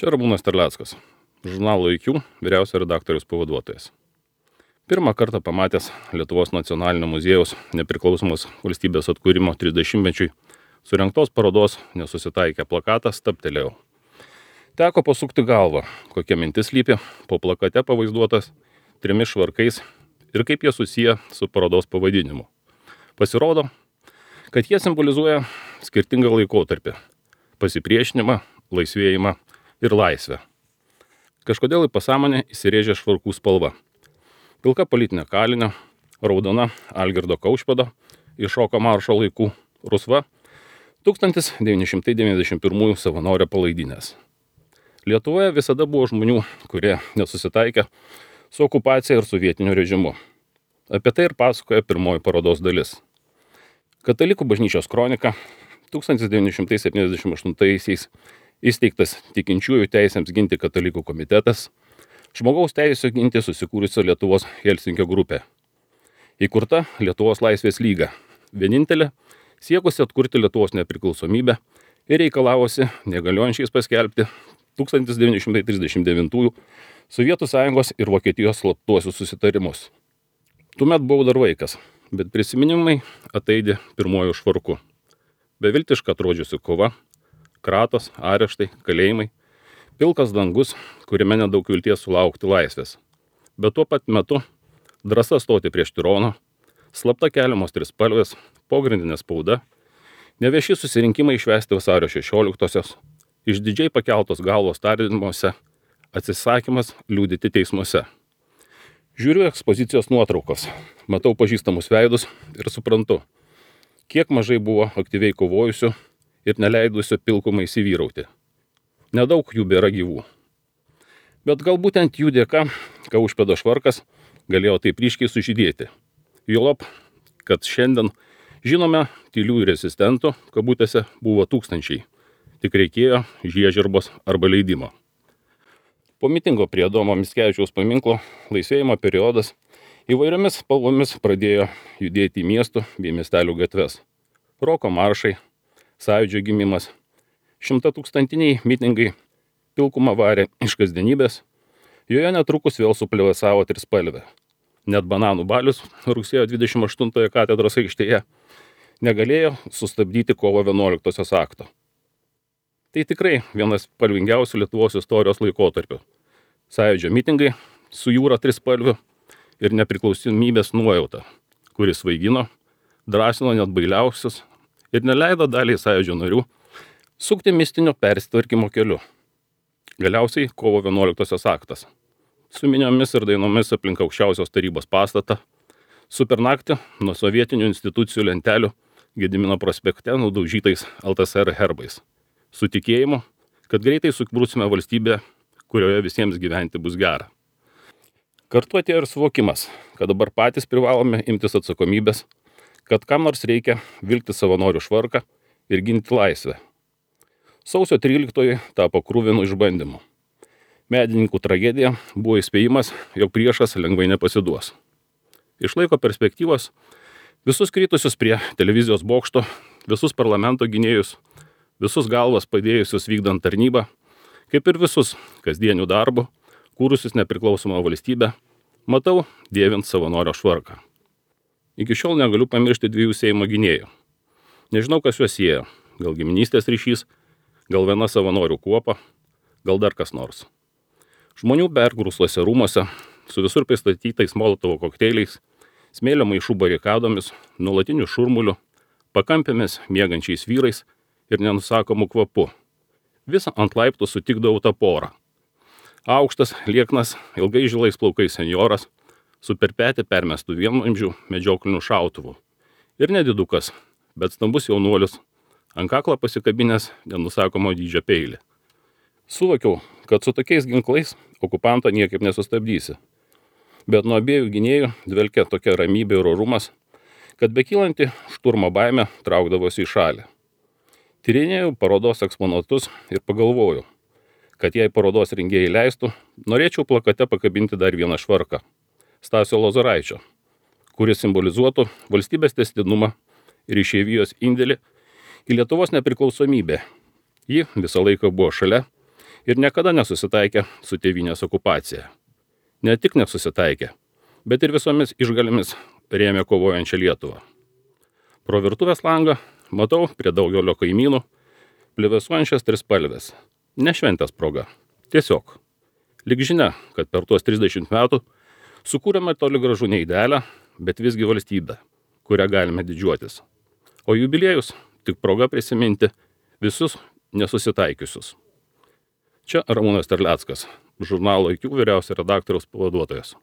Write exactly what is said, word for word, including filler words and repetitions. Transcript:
Čia Ramūnas Terleckas, žurnalo I Q vyriausio redaktoriaus pavaduotojas. Pirmą kartą pamatęs Lietuvos nacionalinio muziejaus nepriklausomos valstybės atkūrimo trisdešimtmečiui surengtos parodos Nesusitaikę plakatą stabtelėjau. Teko pasukti galvą, kokia mintis lypi po plakate pavaizduotas trimis švarkais ir kaip jie susiję su parodos pavadinimu. Pasirodo, kad jie simbolizuoja skirtingą laikotarpį – pasipriešinimą, laisvėjimą ir laisvę. Kažkodėl į pasąmonę įsirėžė švarkų spalva. Pilka politinė kalinio, raudona Algirdo Kaušpėdo iš šoko maršo laikų, rusva tūkstantis devyni šimtai devyniasdešimt pirmųjų savanorio palaidinės. Lietuvoje visada buvo žmonių, kurie nesusitaikė su okupacija ir sovietiniu režimu. Apie tai ir pasakoja pirmoji parodos dalis. Katalikų bažnyčios kronika tūkstantis devyni šimtai septyniasdešimt aštuntaisiais įsteigtas tikinčiųjų teisėms ginti katalikų komitetas, žmogaus teisės ginti susikūrusio Lietuvos Helsinkio grupė. Įkurta Lietuvos laisvės lyga, vienintelė siekusi atkurti Lietuvos nepriklausomybę ir reikalavosi negaliojančiais paskelbti tūkstantis devyni šimtai trisdešimt devintųjų Sovietų Sąjungos ir Vokietijos slaptuosius susitarimus. Tuomet buvau dar vaikas, bet prisiminimai ataidė pirmuoju švarku. Beviltiška atrodžiusi kova, kratos, areštai, kalėjimai, pilkas dangus, kuriame nedaug vilties sulaukti laisvės. Bet tuo pat metu drąsa stoti prieš tironą, slapta keliamos trispalvės, pogrindinė spauda, nevieši susirinkimai švęsti vasario šešioliktosios, išdidžiai pakeltos galvos tardymuose, atsisakymas liudyti teismuose. Žiūriu ekspozicijos nuotraukos, matau pažįstamus veidus ir suprantu, kiek mažai buvo aktyviai kovojusių ir neleidusių pilkumai įsivyrauti. Nedaug jų bėra gyvų. Bet gal būtent jų dėka Kaušpėdo švarkas galėjo taip ryškiai sužydėti. Juolab, kad šiandien žinome tylių rezistentų, kabutėse, buvo tūkstančiai. Tik reikėjo žiežirbos arba leidimo. Po mitingo prie Adomo Mickevičiaus paminklo laisvėjimo periodas įvairiomis spalvomis pradėjo judėti į miestų bei miestelių gatves. Roko maršai, Sąjūdžio gimimas, šimtatūkstantiniai mitingai pilkumą varė iš kasdienybės, joje netrukus vėl suplevėsavo trispalvė. Net bananų balius rugsėjo dvidešimt aštuntojo katedros aikštėje negalėjo sustabdyti kovo vienuoliktosios akto. Tai tikrai vienas spalvingiausių Lietuvos istorijos laikotarpių. Sąjūdžio mitingai su jūra trispalvių ir nepriklausomybės nuojauta, kuris svaigino, drąsino net bailiausius ir neleido daliai Sąjūdžio narių sukti mistinio persitvarkymo keliu. Galiausiai kovo vienuoliktosios aktas. Su miniomis ir dainomis aplink aukščiausios tarybos pastatą, su per naktį nuo sovietinių institucijų lentelių Gedimino prospekte nudaužytais L T S R herbais. Su tikėjimu, kad greitai sukūrusime valstybę, kurioje visiems gyventi bus gera. Kartu atėjo ir suvokimas, kad dabar patys privalome imtis atsakomybės, kad kam nors reikia vilkti savanorių švarką ir ginti laisvę. Sausio tryliktoji tapo kruvinu išbandymu. Medininkų tragedija buvo įspėjimas, jog priešas lengvai nepasiduos. Iš laiko perspektyvos visus krytusius prie televizijos bokšto, visus parlamento gynėjus, visus galvas padėjusius vykdant tarnybą, kaip ir visus kasdienių darbų, kūrusius nepriklausomą valstybę, matau dėvint savanorio švarką. Iki šiol negaliu pamiršti dviejų Seimo gynėjų. Nežinau, kas juos sieja, gal giminystės ryšys, gal viena savanorių kuopa, gal dar kas nors. Žmonių pergrūstuose rūmuose, su visur pristatytais molotovo kokteiliais, smėlio maišų barikadomis, nuolatiniu šurmuliu, pakampėmis miegančiais vyrais ir nenusakomu kvapu. Visą ant laiptų sutikdavau tą porą. Aukštas, lieknas, ilgai žilais plaukais senjoras, su per petį permestų vienvamzdžių medžioklinių šautuvų. Ir nedidukas, bet stambus jaunuolis, ant kaklo pasikabinęs nenusakomo dydžio peilį. Suvokiau, kad su tokiais ginklais okupanto niekaip nesustabdysi. Bet nuo abiejų gynėjų dvelkė tokia ramybė ir orumas, kad bekylanti šturmo baimė traukdavosi į šalį. Tyrinėjau parodos eksponatus ir pagalvojau, kad jei parodos rengėjai leistų, norėčiau plakate pakabinti dar vieną švarką – Stasio Lozoraičio, kuris simbolizuotų valstybės tęstinumą ir išeivijos indėlį į Lietuvos nepriklausomybę. Ji visą laiką buvo šalia ir niekada nesusitaikė su tėvynės okupacija. Ne tik nesusitaikė, bet ir visomis išgalėmis rėmė kovojančią Lietuvą. Pro virtuvės langą matau prie daugelio kaimynų plevėsuojančias trispalvės. Ne šventės proga. Tiesiog. Lyg žinia, kad per tuos trisdešimt metų sukūrėme toli gražu ne idealią, bet visgi valstybę, kurią galime didžiuotis. O jubiliejus tik proga prisiminti visus nesusitaikiusius. Čia Ramūnas Terleckas, žurnalo I Q vyriausio redaktoriaus pavaduotojas.